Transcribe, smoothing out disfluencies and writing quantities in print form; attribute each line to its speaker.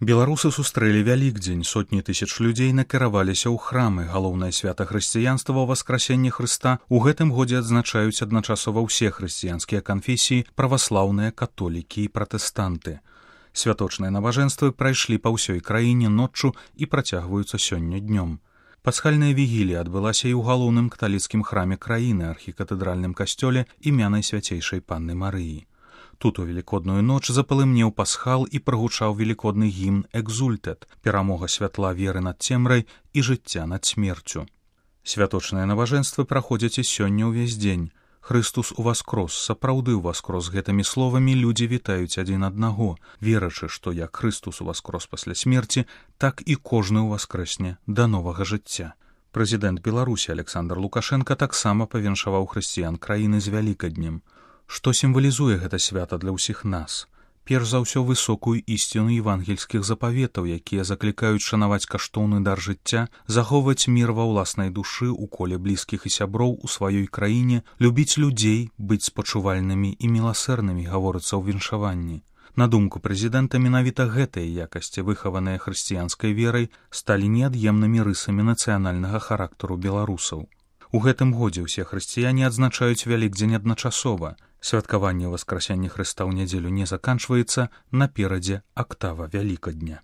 Speaker 1: Беларусы сустрэлі Вялікдзень, сотні тысяч людзей накіраваліся ў храмы. Галоўнае свята хрысціянства Васкрасенне Хрыста у гэтым годзе адзначаюць адначасова ўсе хрысціянскія канфесіі, праваслаўныя, католікі і пратэстанты. Святочныя набажэнствы прайшлі па ўсёй краіне ноччу і працягваюцца сёння днём. Пасхальная вігілія адбылася і ў галоўным каталіцкім храме краіны, архікатэдральным касцёле імя Найсвяцейшай Панны Марыі. Тут у велікодную ноч запалымнеў пасхал і прагучаў велікодны гімн «Экзультет» – перамога святла веры над цемрай і жыцця над смерцю. Святочныя набажэнствы праходзяць і сёння ўвесь дзень. «Хрыстус уваскрос», сапраўды ўваскрос, гэтымі словамі людзі вітаюць адзін аднаго, верачы, што як Хрыстус уваскрос пасля смерці, так і кожны ўваскрэсне да новага жыцця. Прэзідэнт Беларусі Александр Лукашенка таксама павіншаваў хрысціян краіны з Вялікаднем. Што сімвалізуе гэта свята для ўсіх нас? Перш за ўсё высокую ісціну евангельскіх запаветаў, якія заклікаюць шанаваць каштоўны дар жыцця, захоўваць мір ва ўласнай душы ў коле блізкіх і сяброў у сваёй краіне, любіць людзей, быць спачувальнымі і міласэрнымі, гаворыцца ў віншаванні. На думку прэзідэнта, менавіта гэтыя якасці, выхаваныя хрысціянскай верай, сталі неад'емнымі рысамі нацыянальнага характару беларусаў. У гэтым годзе ўсе хрысціяне адзначаюць Вялікдзень адначасова. Святкаванне Васкрасення Хрыста ў нядзелю не заканчваецца, наперадзе актава Вялікадня.